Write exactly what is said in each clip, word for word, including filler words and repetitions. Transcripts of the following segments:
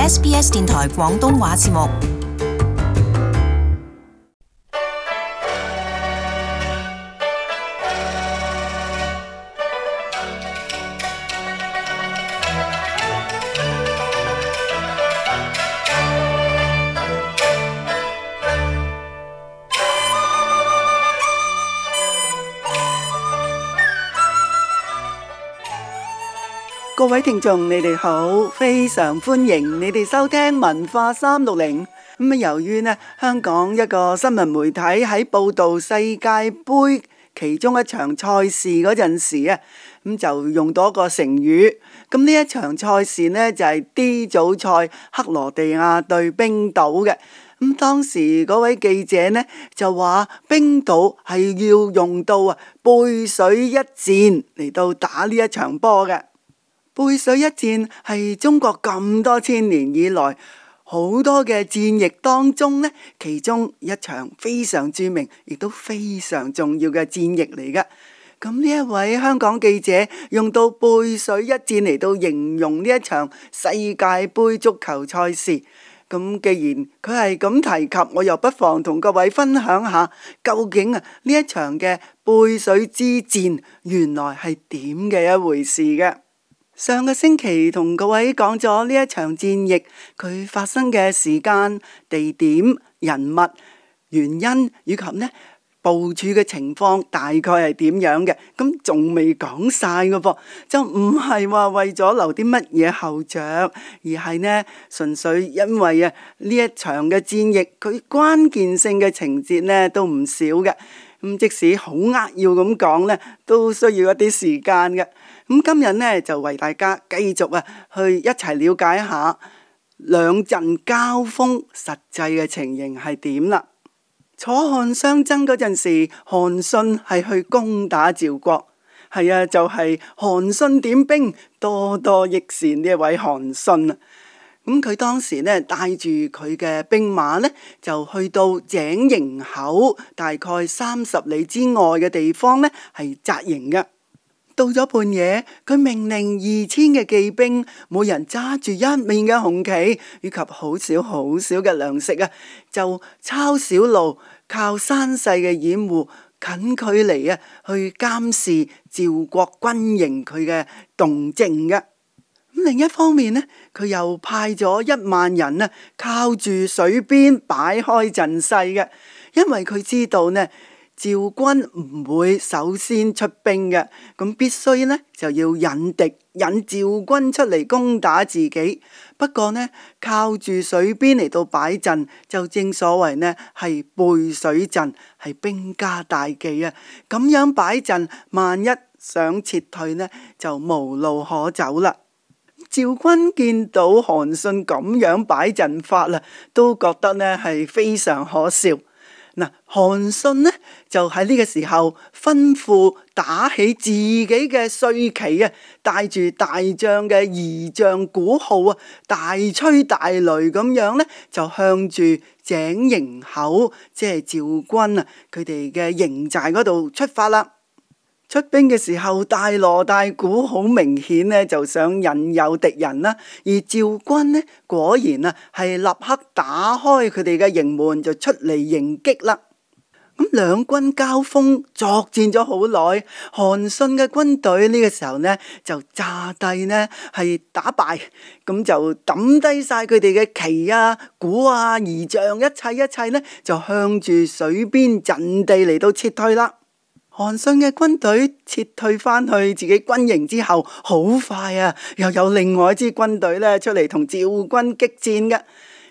S B S 電台廣東話節目。各位聽眾，你哋好，非常歡迎你哋收聽文化三六零。咁啊，由於呢香港一個新聞媒體喺報道世界盃其中一場賽事嗰陣時啊，咁就用到一個成語。咁呢一場賽事呢，就係 D 組賽克羅地亞對冰島嘅。咁當時嗰位記者呢就話冰島係要用到啊背水一戰嚟到打呢一場波嘅。背水一戰係中國咁多千年以來好多嘅戰役當中呢，其中一場非常著名亦都非常重要嘅戰役嚟嘅。咁呢一位香港記者用到背水一戰嚟到形容呢一場世界盃足球賽事。咁既然佢係咁提及，我又不妨同各位分享下究竟啊呢一場嘅背水之戰原來係點嘅一回事嘅。上個星期同各位講咗呢一場戰役佢發生嘅時間、地點、人物、原因以及呢部署嘅情況大概係點樣嘅，咁仲未講晒嘅噃，就唔係話為咗留啲乜嘢後着，而係呢純粹因為啊呢一場嘅戰役佢關鍵性嘅情節呢都唔少嘅，咁即使好扼要咁講呢，都需要一啲時間嘅。咁今日呢就為大家繼續啊去一齊了解一下兩陣交鋒實際嘅情形係點啦。楚漢相爭嗰陣時，韓信係去攻打趙國，係啊，就係韓信點兵，多多益善呢一位韓信啊。咁佢當時呢帶住佢嘅兵馬呢，就去到井陉口，大概三十里之外嘅地方呢，係紮營嘅。到咗半夜，佢命令二千嘅騎兵，每人揸住一面嘅紅旗，以及好少好少嘅糧食啊，就抄小路，靠山勢嘅掩護，近距離啊去監視趙國軍營佢嘅動靜嘅。咁另一方面呢，佢又派咗一萬人啊，靠住水邊擺開陣勢嘅，因為佢知道呢，趙軍唔會首先出兵嘅，咁必須呢就要引敵引趙軍出嚟攻打自己。不過呢，靠住水邊嚟到擺陣，就正所謂呢係背水陣，係兵家大忌啊！咁樣擺陣，萬一想撤退呢，就無路可走啦。趙軍見到韓信咁樣擺陣法啦，都覺得呢係非常可笑。嗱，韓信呢就喺呢個時候吩咐打起自己嘅帥旗啊，帶住大將嘅儀仗鼓號啊，大吹大擂咁樣呢，就向住井陉口，即係趙軍啊佢哋嘅營寨嗰度出發啦。出兵嘅時候大鑼大鼓，好明顯呢就想引誘敵人啦。而趙軍呢果然啊係立刻打開佢哋嘅營門，就出嚟迎擊啦。咁兩軍交鋒作戰咗好耐，韓信嘅軍隊呢個時候呢就詐帝呢係打敗，咁就抌低晒佢哋嘅旗啊、鼓啊、儀仗，一切一切呢就向住水邊陣地嚟到撤退啦。韓信嘅軍隊撤退翻去自己軍營之後，好快啊，又有另外一支軍隊咧出嚟同趙軍激戰嘅。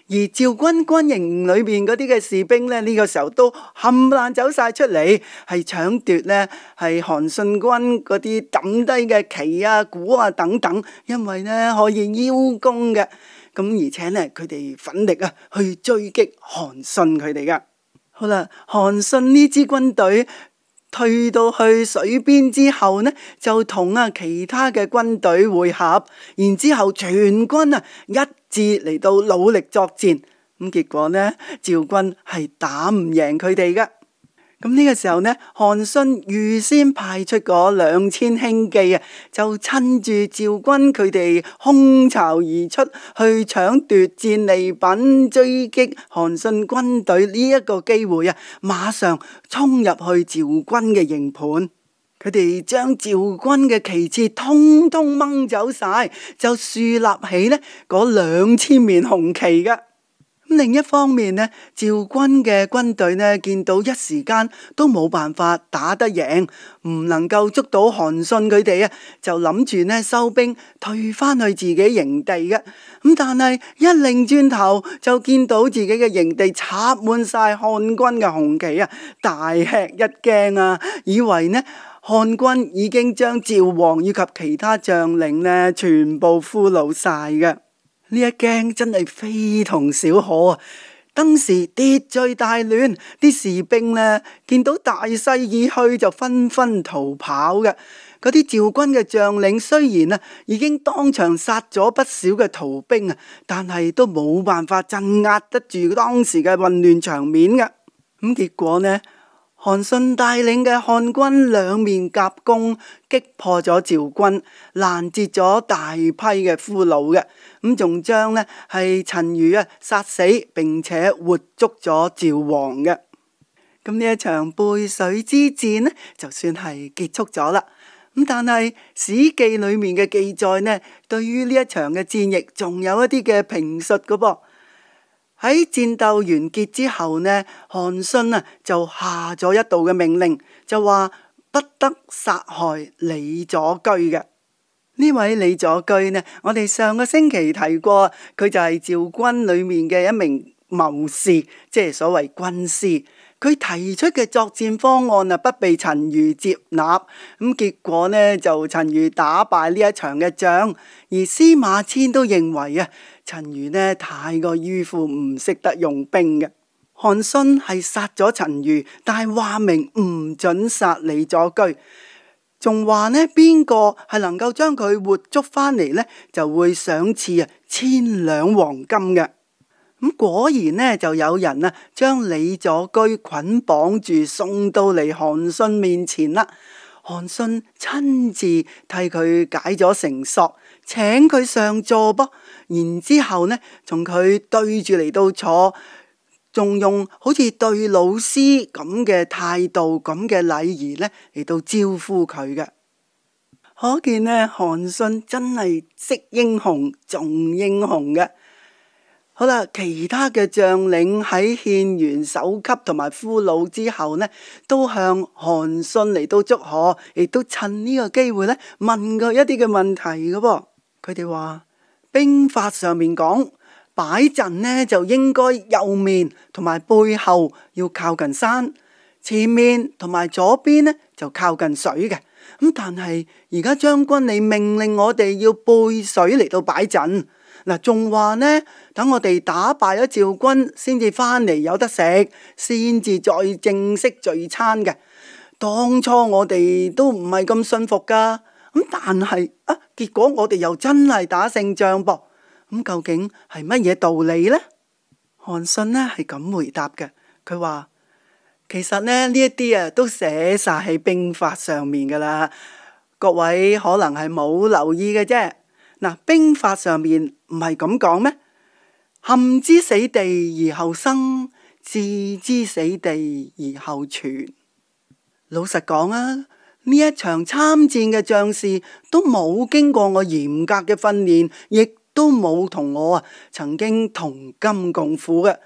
而趙軍軍營裏邊嗰啲嘅士兵咧，呢、呢個時候都冚唪唥走晒出嚟，係搶奪呢係韓信軍嗰啲抌低嘅旗啊、鼓啊等等，因為呢可以邀功嘅。咁而且呢，佢哋奮力啊去追擊韓信佢哋噶。好啦，韓信呢支軍隊退到去水邊之後呢，就同啊其他嘅軍隊會合，然之後全軍啊一致嚟到努力作戰，咁結果呢，趙軍係打唔贏佢哋噶。咁呢個時候呢，韓信預先派出嗰兩千輕騎啊，就趁住趙軍佢哋空巢而出，去搶奪戰利品，追擊韓信軍隊呢一個機會啊，馬上衝入去趙軍嘅營盤，佢哋將趙軍嘅旗幟通通掹走晒，就樹立起呢嗰兩千面紅旗嘅。另一方面呢，趙軍嘅軍隊呢，見到一時間都冇辦法打得贏，唔能夠捉到韓信佢哋啊，就諗住呢收兵退翻去自己營地嘅。咁但係一擰轉頭就見到自己嘅營地插滿晒漢軍嘅紅旗啊，大吃一驚啊，以為呢漢軍已經將趙王以及其他將領呢全部俘虜晒嘅。呢一驚真係非同小可啊！當時秩序大亂，啲士兵呢見到大勢已去，就紛紛逃跑嘅。嗰啲趙軍嘅將領雖然啊已經當場殺咗不少嘅逃兵啊，但係都冇辦法鎮壓得住當時嘅混亂場面嘅。咁結果呢，韓信帶領嘅漢軍兩面夾攻，擊破咗趙軍，攔截咗大批嘅俘虜嘅，咁仲將呢係陳馀啊殺死，並且活捉咗趙王嘅。咁呢一場背水之戰呢，就算係結束咗啦。咁但係《史記》裏面嘅記載呢，對於呢一場嘅戰役，仲有一啲嘅評述噶噃。喺戰鬥完結之後呢，韓信啊就下咗一道嘅命令，就話不得殺害李左車嘅。呢位李左車呢，我哋上個星期提過，佢就係趙軍裏面嘅一名謀士，即係所謂軍師。佢提出嘅作戰方案啊，不被陳馀接納，咁結果呢就陳馀打敗呢一場嘅仗，而司馬遷都認為啊，陳馀呢太過迂腐，唔識得用兵嘅。韓信係殺咗陳馀，但係話明唔准殺李左車，仲話呢邊個係能夠將佢活捉翻嚟呢，就會賞賜啊千兩黃金嘅。咁果然呢，就有人啊將李左車捆綁住送到嚟韓信面前啦。韓信親自替佢解咗繩索，請佢上座噃，然之後呢，同佢對住嚟到坐，仲用好似對老師咁嘅態度、咁嘅禮儀呢嚟到招呼佢嘅。可見呢，韓信真係識英雄重英雄嘅。好啦，其他嘅將領喺獻完首級同埋俘虜之後呢，都向韓信嚟到祝賀，亦都趁呢個機會呢問佢一啲嘅問題嘅噃。佢哋話兵法上面講擺陣呢就應該右面同埋背後要靠近山，前面同埋左邊呢就靠近水嘅。咁但係而家將軍你命令我哋要背水嚟到擺陣。嗱，仲話呢，等我哋打敗咗趙軍，先至翻嚟有得食，先至再正式聚餐嘅。當初我哋都唔係咁信服噶，咁但係啊，結果我哋又真係打勝仗噃。咁究竟係乜嘢道理呢？韓信呢係咁回答嘅，佢話其實呢呢一啲啊都寫晒喺兵法上面噶啦，各位可能係冇留意嘅啫。嗱，兵法上面唔係咁講咩？陷之死地而後生，置之死地而後存。老實講啊，呢一場參戰嘅將士都冇經過我嚴格嘅訓練，亦都冇同我啊曾經同甘共苦嘅，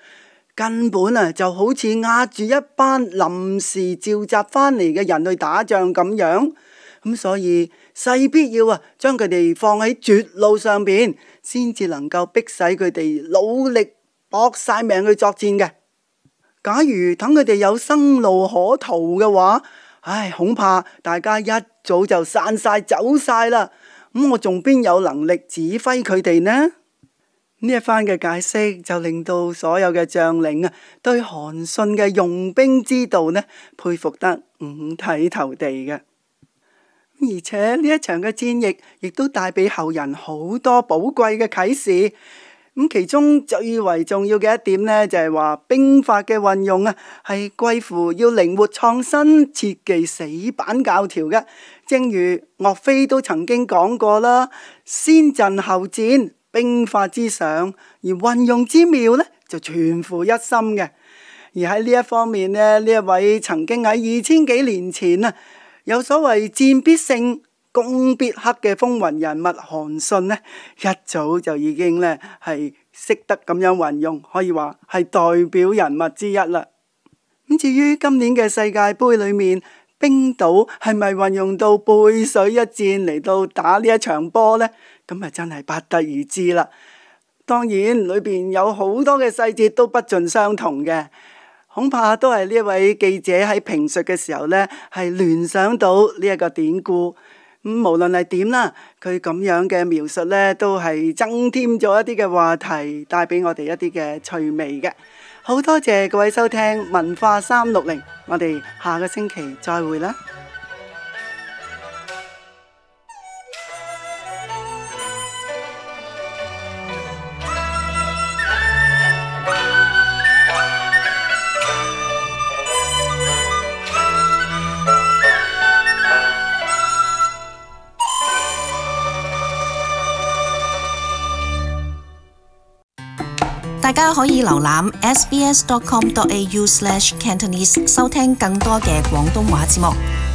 根本啊就好似押住一班臨時召集翻嚟嘅人去打仗咁樣。咁所以勢必要啊，將佢哋放喺絕路上邊，先至能夠逼使佢哋努力搏晒命去作戰嘅。假如等佢哋有生路可逃嘅話，唉，恐怕大家一早就散晒走晒啦。咁我仲邊有能力指揮佢哋呢？呢一番嘅解釋就令到所有嘅將領啊，對韓信嘅用兵之道呢，佩服得五體投地嘅。而且呢一場嘅戰役亦都帶俾後人好多寶貴嘅啟示。咁其中最為重要嘅一點呢，就係話兵法嘅運用啊，係貴乎要靈活創新，切忌死板教條嘅。正如岳飛都曾經講過啦，先陣後戰，兵法之上，而運用之妙呢，就全乎一心嘅。而喺呢一方面呢，呢一位曾經喺二千幾年前啊，有所謂戰必勝攻必克嘅風雲人物韓信呢，一早就已經呢係識得咁樣運用，可以話係代表人物之一啦。咁至於今年嘅世界盃裏面，冰島係咪運用到背水一戰嚟到打呢一場波呢？咁啊真係不得而知啦。當然裏邊有好多嘅細節都不盡相同嘅，恐怕都係呢一位記者喺評述嘅時候呢，係聯想到呢一個典故。咁無論係點啦，佢咁樣嘅描述呢，都係增添咗一啲嘅話題，帶俾我哋一啲嘅趣味嘅。好多謝各位收聽文化三六零，我哋下個星期再會啦。大家可以瀏覽 s b s dot com dot a u slash cantonese 收聽更多嘅廣東話節目。